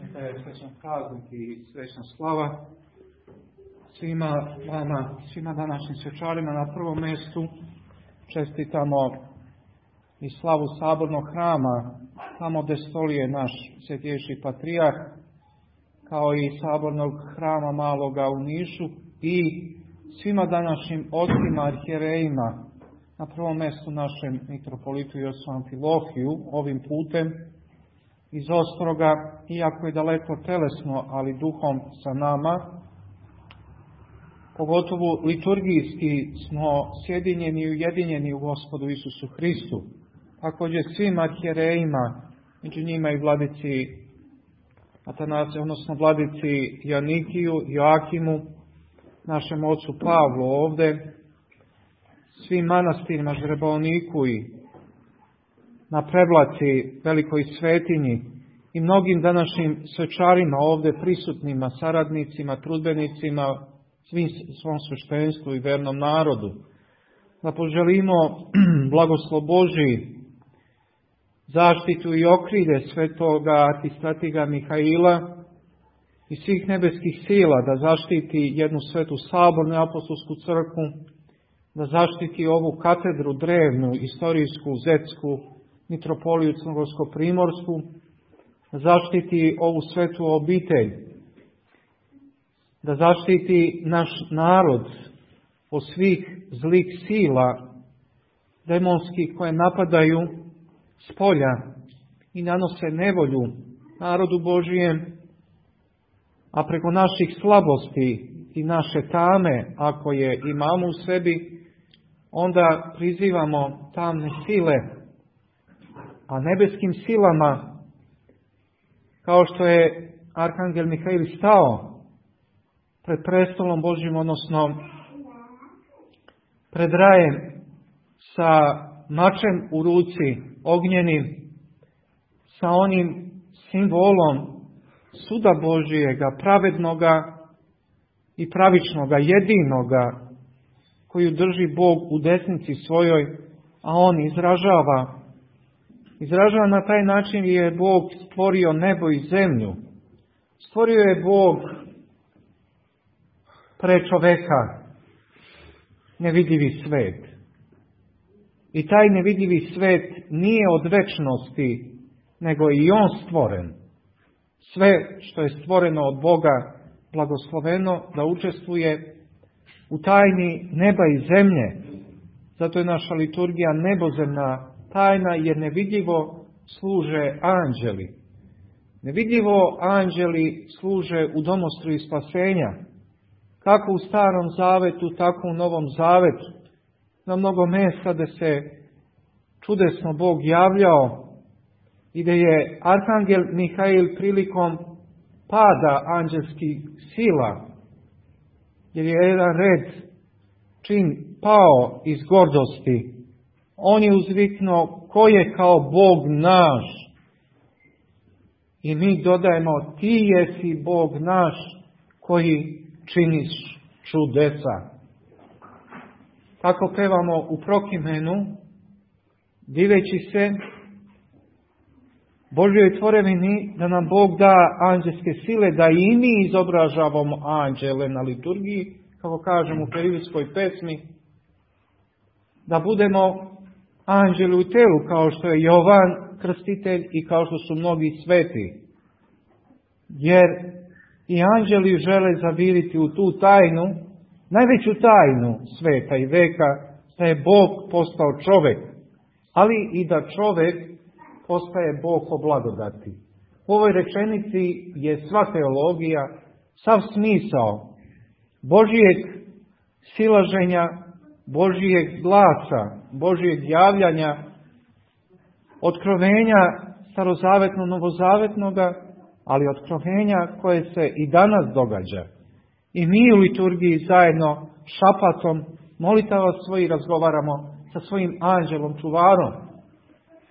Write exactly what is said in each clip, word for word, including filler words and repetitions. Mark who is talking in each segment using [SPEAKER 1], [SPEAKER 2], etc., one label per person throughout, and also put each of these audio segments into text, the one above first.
[SPEAKER 1] Neka je srećan praznik i srećna slava svima vama, svima današnjim svečarima. Na prvom mjestu čestitamo i slavu sabornog hrama, tamo gdje stolije naš svetejši patrijarh, kao i sabornog hrama maloga u Nišu, i svima današnjim ocima, arhijerejima, na prvom mjestu našem mitropolitu Josipu Amfilohiju, ovim putem iz Ostroga, iako je daleko telesno, ali duhom sa nama. Pogotovo liturgijski smo sjedinjeni i ujedinjeni u Gospodu Isusu Hristu. Također svim arhijerejima, među njima i vladici Atanasiju, odnosno vladici Janikiju, Joakimu, našem ocu Pavlu ovdje, svim manastirima, Žrebovniku i na Prevlaci, Velikoj Svetinji i mnogim današnjim svečarima ovdje prisutnima, saradnicima, trudbenicima, svim svom sveštenstvu i vernom narodu. Da poželimo blagoslov Božji, zaštitu i okrilje svetoga arhistratiga Mihaila i svih nebeskih sila, da zaštiti jednu svetu sabornu i apostolsku crkvu, da zaštiti ovu katedru drevnu, istorijsku, zetsku, mitropoliju Crnogorsko-primorsku, da zaštiti ovu svetu obitelj, da zaštiti naš narod od svih zlih sila demonskih koje napadaju s polja i nanose nevolju narodu Božijem, a preko naših slabosti i naše tame, ako je imamo u sebi, onda prizivamo tamne sile, a nebeskim silama, kao što je Arhangel Mihail stao pred prestolom Božjim, odnosno pred rajem sa mačem u ruci, ognjenim, sa onim simbolom suda Božijega, pravednoga i pravičnoga, jedinoga, koju drži Bog u desnici svojoj, a on izražava. Izražava na taj način je Bog stvorio nebo i zemlju. Stvorio je Bog pre čoveka nevidljivi svet. I taj nevidljivi svet nije od večnosti, nego je i on stvoren. Sve što je stvoreno od Boga blagosloveno da učestvuje u tajni neba i zemlje. Zato je naša liturgija nebozemna tajna, jer nevidljivo služe anđeli. Nevidljivo anđeli služe u domostru spasenja. Kako u Starom Zavetu, tako u Novom Zavetu. Na mnogo mjesta gdje se čudesno Bog javljao i gdje je Arhangel Mihail prilikom pada anđelskih sila, jer je jedan red čin pao iz gordosti, on je uzviknuo ko je kao Bog naš. I mi dodajemo ti jesi Bog naš koji činiš čudesa. Tako pevamo u Prokimenu, diveći se Božjoj tvorevini da nam Bog da anđelske sile, da i mi izobražavamo anđele na liturgiji, kako kažemo u Perivijskoj pesmi, da budemo anđeli u telu, kao što je Jovan Krstitelj i kao što su mnogi sveti. Jer i anđeli žele zaviriti u tu tajnu, najveću tajnu sveta i veka, da je Bog postao čovjek, ali i da čovjek postaje Bog po blagodati. U ovoj rečenici je sva teologija, sav smisao Božijeg silaženja, Božijeg glasa, Božijeg javljanja, otkrovenja starozavetno novozavetnoga, ali otkrovenja koje se i danas događa. I mi u liturgiji zajedno šapatom molitava svoji razgovaramo sa svojim anđelom čuvarom,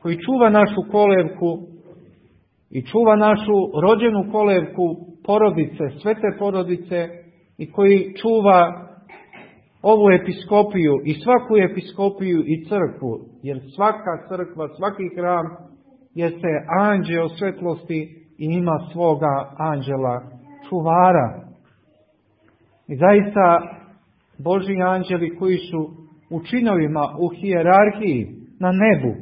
[SPEAKER 1] koji čuva našu kolevku i čuva našu rođenu kolevku porodice, svete porodice, i koji čuva ovu episkopiju i svaku episkopiju i crkvu, jer svaka crkva, svaki hram jeste anđeo svetlosti i ima svoga anđela čuvara. I zaista Božji anđeli koji su u činovima, u hijerarhiji, na nebu,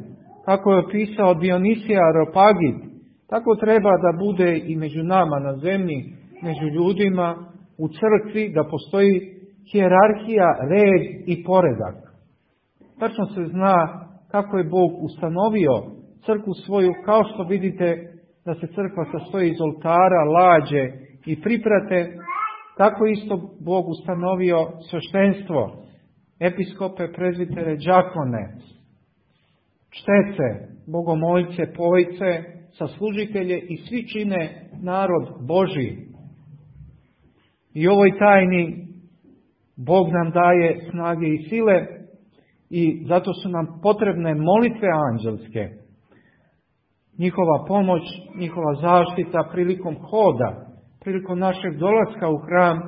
[SPEAKER 1] kako je opisao Dionisije Areopagit, tako treba da bude i među nama na zemlji, među ljudima, u crkvi, da postoji hijerarhija, red i poredak. Tačno se zna kako je Bog ustanovio crkvu svoju, kao što vidite da se crkva sastoji iz oltara, lađe i priprate, tako isto Bog ustanovio sveštenstvo, episkope, prezbitere, đakone, čtece, bogomoljce, povojce, saslužitelje i svi čine narod Božji. I ovoj tajni Bog nam daje snage i sile i zato su nam potrebne molitve anđelske. Njihova pomoć, njihova zaštita prilikom hoda, prilikom našeg dolaska u hram,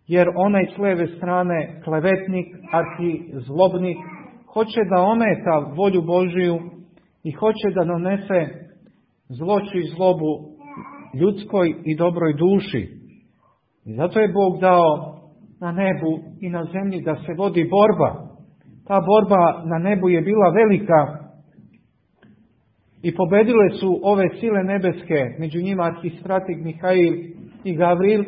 [SPEAKER 1] jer onaj s leve strane klevetnik, arhizlobnik, hoće da ometa volju Božiju i hoće da donese zloću i zlobu ljudskoj i dobroj duši. I zato je Bog dao na nebu i na zemlji da se vodi borba. Ta borba na nebu je bila velika i pobedile su ove sile nebeske, među njima arhistratik Mihail i Gavril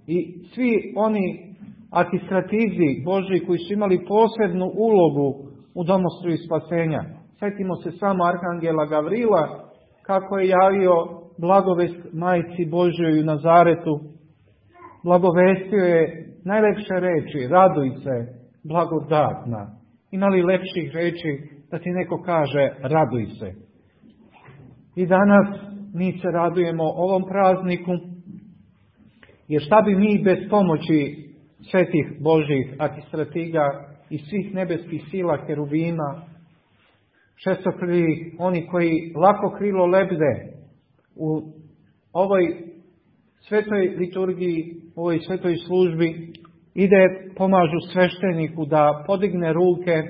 [SPEAKER 1] i svi oni arhistratizi Božji koji su imali posebnu ulogu u domostru spasenja. Sjetimo se samo arhangela Gavrila, kako je javio blagovest majci Božjoj u Nazaretu. Blagovestio je najlepše reči, raduj se, blagodatna. Ima li lepših reči da ti neko kaže raduj se? I danas mi se radujemo ovom prazniku, jer šta bi mi bez pomoći svetih Božjih arhistratiga i svih nebeskih sila heruvima, šestokrili, oni koji lako krilo lebde u ovoj svetoj liturgiji, u ovoj svetoj službi, ide, pomažu svešteniku da podigne ruke,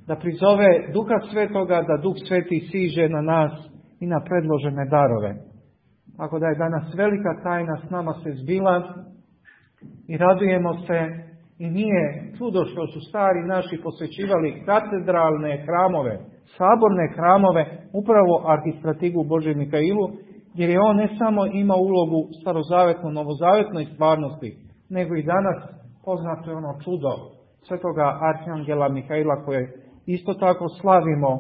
[SPEAKER 1] da prizove Duha Svetoga, da Duh Sveti siđe na nas i na predložene darove. Tako da je danas velika tajna s nama se zbila i radujemo se i nije čudo što su stari naši posvećivali katedralne hramove, saborne hramove, upravo arhistratigu Božjem Mikailu, jer je on ne samo ima ulogu starozavetno, novozavetnoj stvarnosti, nego i danas poznato je ono čudo svetoga arhangela Mihaila koje isto tako slavimo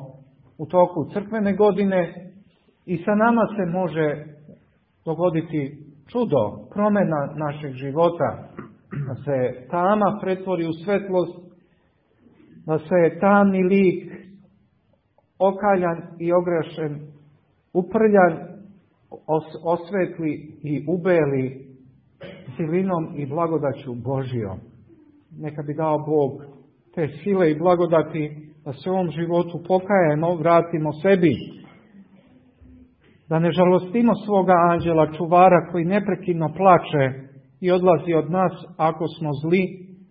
[SPEAKER 1] u toku crkvene godine i sa nama se može dogoditi čudo, promjena našeg života, da se tama pretvori u svetlost, da se tamni lik okaljan i ogrešen, uprljan, os- osvetli i ubeli silinom i blagodaću Božijom. Neka bi dao Bog te sile i blagodati da se u ovom životu pokajemo, vratimo sebi, da ne žalostimo svoga anđela čuvara koji neprekidno plače i odlazi od nas ako smo zli,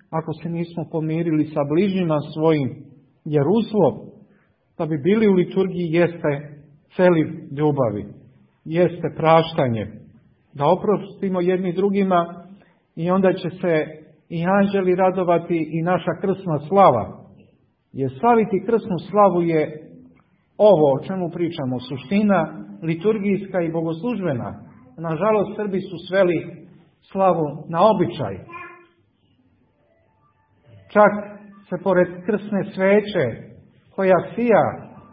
[SPEAKER 1] ako se nismo pomirili sa bližnjima svojim, jer uslov da bi bili u liturgiji jeste celiv ljubavi, jeste praštanje, da oprostimo jedni drugima i onda će se i anđeli radovati i naša krsna slava. Jer slaviti krsnu slavu je ovo o čemu pričamo, suština liturgijska i bogoslužbena. Nažalost, Srbi su sveli slavu na običaj. Čak se pored krsne sveće koja sija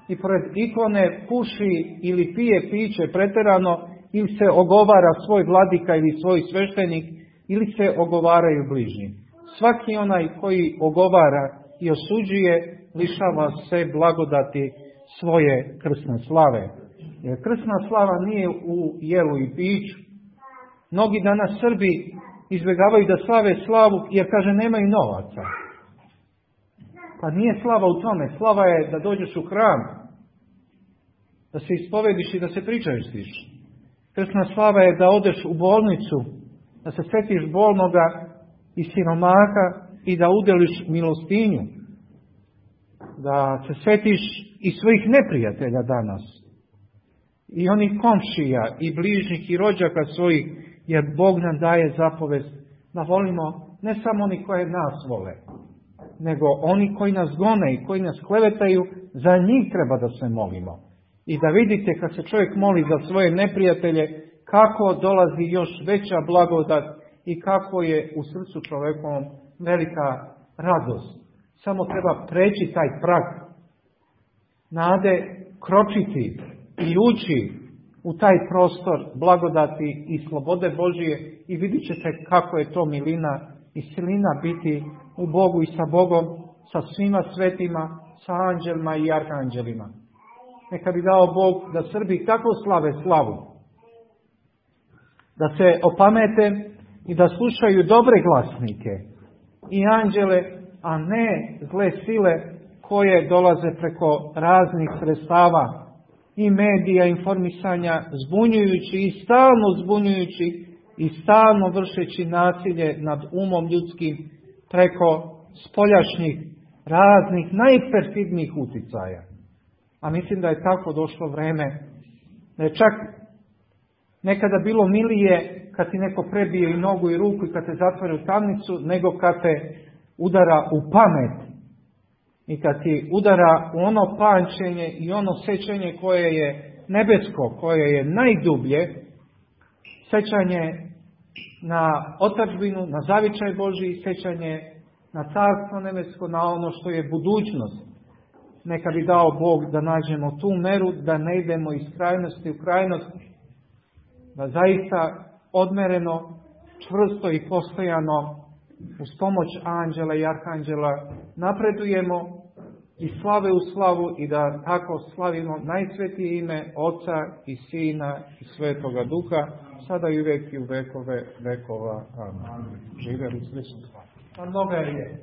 [SPEAKER 1] i pored ikone puši ili pije piće preterano ili se ogovara svoj vladika ili svoj sveštenik ili se ogovaraju bližnji. Svaki onaj koji ogovara i osuđuje lišava se blagodati svoje krsne slave. Jer krsna slava nije u jelu i piću. Mnogi danas Srbi izbjegavaju da slave slavu jer kaže nemaju novaca. Pa nije slava u tome. Slava je da dođeš u hram, da se ispovediš i da se pričastiš. Krsna slava je da odeš u bolnicu, da se setiš bolnoga i siromaha i da udeliš milostinju. Da se setiš i svojih neprijatelja danas. i onih komšija i bližnjih i rođaka svojih, jer Bog nam daje zapovest da volimo ne samo oni koje nas vole, nego oni koji nas gone i koji nas klevetaju, za njih treba da se molimo. I da vidite kad se čovjek moli za svoje neprijatelje, kako dolazi još veća blagodat i kako je u srcu čovjekovom velika radost. Samo treba preći taj prag nade, kročiti i ući u taj prostor blagodati i slobode Božije i vidjet ćete kako je to milina i silina biti u Bogu i sa Bogom, sa svima svetima, sa anđelima i arhanđelima. Neka bi dao Bog da Srbi tako slave slavu, da se opamete i da slušaju dobre glasnike i anđele, a ne zle sile koje dolaze preko raznih sredstava i medija, informisanja, zbunjujući i stalno zbunjujući i stalno vršeći nasilje nad umom ljudskim preko spoljašnjih raznih najperfidnijih uticaja. A mislim da je tako došlo vreme da je čak nekada bilo milije kad ti neko prebije i nogu i ruku i kad te zatvori u tamnicu, nego kad te udara u pamet i kad ti udara u ono pamćenje i ono sećanje koje je nebesko, koje je najdublje, sećanje na otadžbinu, na zavičaj Božji, sećanje na carstvo nebesko, na ono što je budućnost. Neka bi dao Bog da nađemo tu meru, da ne idemo iz krajnosti u krajnost, da zaista odmereno, čvrsto i postojano uz pomoć anđela i arhanđela napredujemo i slave u slavu i da tako slavimo najsvetije ime Oca i Sina i Svetoga Duha, sada i uvijek i u vekove vekova. Amen. Živjeli Hristos. A mnoga je.